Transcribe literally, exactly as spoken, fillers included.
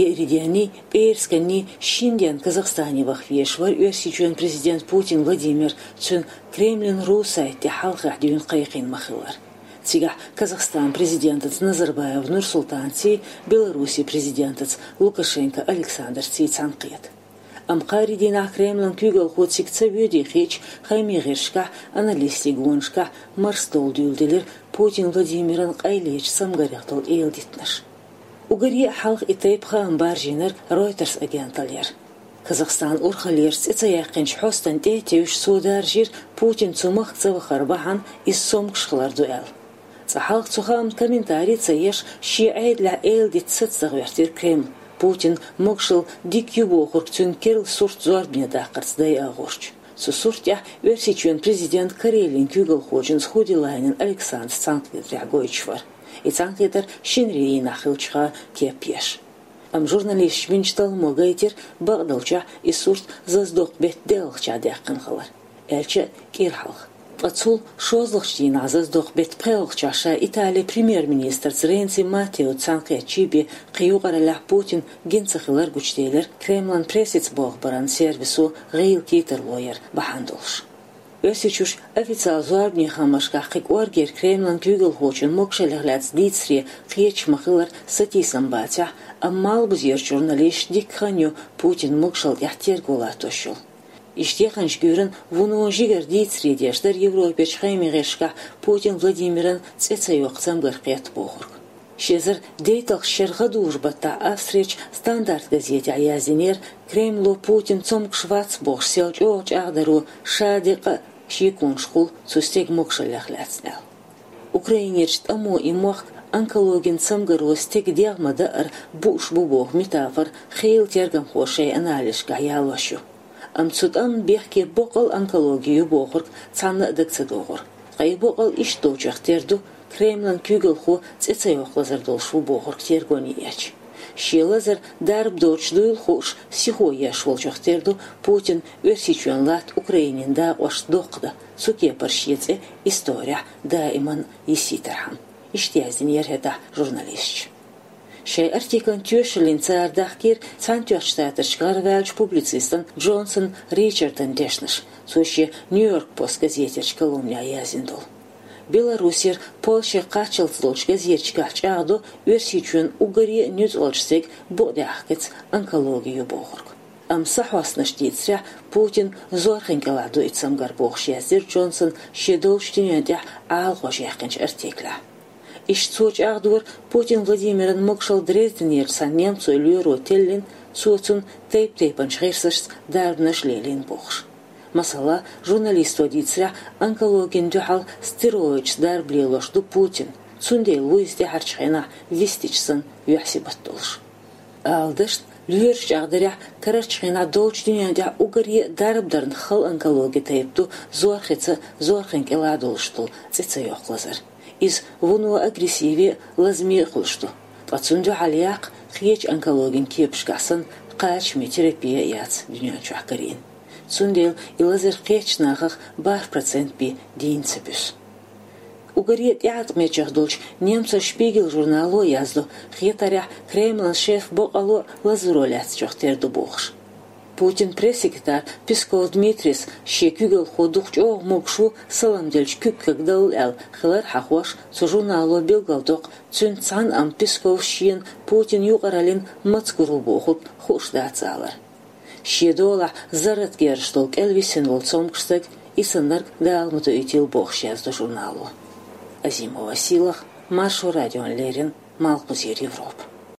Еарин денний, пӀерасканний шин дийнахьа Казахстане ваха везаш вар Оьрсийчоьнан президент Путин Владимир, цуьнан Кремлан ру-сайта тӀа хьалхахь дуьйна кхайкхийна ма-хиллара. Цигахь Казахстанан президентаца Назарбаев Нурсултанций, Беларусин президентаца Лукашенко Александрций цхьаьнакхета. Амма кхаарин дийнахь Кремлан куьйгалхо цига ца воьдий хеташ, хаамийн гӀирсашкахь, аналистийн гонашкахь марсдовла дуьйладелира Путин Владимиран къайлечу цамгарех долу эладитанаш. Уггаре а хьалха и тайпа хаам баржийнарг Reuters агенталлера. Казахстан урхаллерчу цӀе ца яьккхинчу хьостана тӀе а тевжаш, цо даржийра Путин цу махка ца вахар бахьана иза цомгуш хилар ду аьлла. Цкъа хьалха цу хаамна комментари а ца еш, шен Ӏедалехь эладита сацадаха гӀоьртира Кремль, Путин могушалла дика ю бохург цуьнан керла сурт зорбане даккхарца дӀаяхьарца. Цу сурт тӀехь Оьрсийчоьнан президент Карелин куьйгалхочуьнца Худилайнен Александрца цхьаьнакхетарехь гойтуш вара. И цхьаьнакхетар шинарин дийнахь хиллачух кеп еш. Амма журналисташа бинчу талламо гайтира, бакъдолчохь и сурт зазадоккху беттан деалгӀачохь даьккхина хилар, аьлча а кӀира хьалха. Ткъа цул шолгӀачу дийнахь зазадоккху беттан пхоьалгӀачохь ша Италин премьер-министрца Ренци Маттеоца цхьаьнакхетча бен кхин юкъараллехь Путин гина ца хилар гучуделира Кремлан прессица болх баран сервисо гӀийла кхетарло яр бахьана долуш. Оьрсийчуьра официалан зорбанийн хаамашкахь кхин кӀоргера Кремлан куьйгалхочун могушаллех лаьцна дийцаре кхеташ ма-хиллара сатийсам бацахь а, амма малхбузерчу журналисташна дика хан ю Путинан могушалла тӀехь терго латтош йолу. Иштта яханчу гуьйранна вуно жигара дийцаре деш дара Европерчу хаамийн гӀирсашкахь Путин Владимиран цӀе ца йоккху цамгар кхетта бохург. Ши эзар дейтталгӀачу шеран гӀадужу-баттахь Австрерчу Стандарт газетехь яздинера, Кремло Путин цомгуш вац бохуш сел чӀогӀа чӀагӀдаро ша декъа а шеконаш хуьлу цу стеган могушаллех лаьцна аьлла. Украинерчу тӀамо и мохк онкологин цамгаро стеган дегӀ ма-дарра бууш бу боху метафора хийла тергамхоша шайн анализашкахь ялош ю. Амма цу тӀамна бехке боккъал онкологи ю бохург цхьанна а дага ца догӀура. Ткъа и боккъал иштта долчух тера ду, Кремлан куьйгалхо цӀе ца йоккху лазар долуш ву бохург тергоне эцча. Шен лазар дарба доцуш дуйла хууш, сихо еш волчух тера ду, Путин Оьрсийчоьнан латта Украинин дакъошца доккха дан, цу кепара шен цӀе исторехь даиман йисийтархьама. Иштта яздинера хӀетахь журналисташа. Шайн артиклан тоьшаллина цара дахкийра Цхьаьнатоьхначу Штаташка гӀараваьллачу публицистан Джонсон Ричардан дешнаш, цо шен Нью-Йорк Пост газетерчу колумнехь яздина долу. Беларусера, Польшера кхаччалц долчу газеташкахь чӀагӀдо Оьрсийчоьнан уггаре а нуьцкъалчу стеган букъ тӀехь кхин онкологи ю бохург. Амма сахьостанаша дийцарехь, Путин зорхин кӀелахь ду и цамгар бохуш, яздира Джонсон шен долчу дуьнен тӀехь Ӏалашонаш яьккхинчу артиклехь. Иштта цо чӀагӀдора, Путин Владимиран могушалла Дрезденерчу цхьана немцойн лоьро теллина, цо цунна тайп-тайпанчу гӀирсашца дарбанаш лелийна бохуш. Масала, журналисто дийцарехь, онкологина дуьхьал стероидашца дарба лелош ду Путин, цундела ву иза тӀаьхьарчу хенахь вистича санна юьхь-сибат долуш. Ала дашна, лоьраша чӀагӀдарехь, карарчу хенахь долчу дуьнен тӀехь уггаре а дарба дарна хала онкологин тайпа ду зорхица, зорхин кӀелахь долуш долу цӀе ца йоккху лазар. Иза вуно агрессиве а, лазаме а хуьлуш ду. Ткъа цунна дуьхьал яккха кхечу онкологин кепашкахь санна кхачаме терапи а яц дуьнен чохь карийна. Цундела и лазар кхечу нахах бархӀ процент бен дийна ца буьсу. Уггаре а тӀеӀаткъамечех долчу немцойн Шпигель журнало яздо, хетарехь, Кремлан шеф боккъало а лазаро лаьцначух тера ду бохуш. Путинан пресс-секретарь Песков Дмитрийс шен куьйгалхо дукха чӀогӀа могуш ву, салам делча куьг кагдалла аьлла хилар хьахош, цу журнало билгалдоккху, цуьнца цхьаьна амма Песковс шена Путин юкъараллин мацгур ву бохург хууш дац алар. Шен долахь зарратан герзаш долу кӀел висина волу цомгуш стаг, и саннарг Дала ма доуьйтийла бохуш, яздо журнало. Азимова Сийлаха, Маршо радиона леррина, Малхбузера Европа.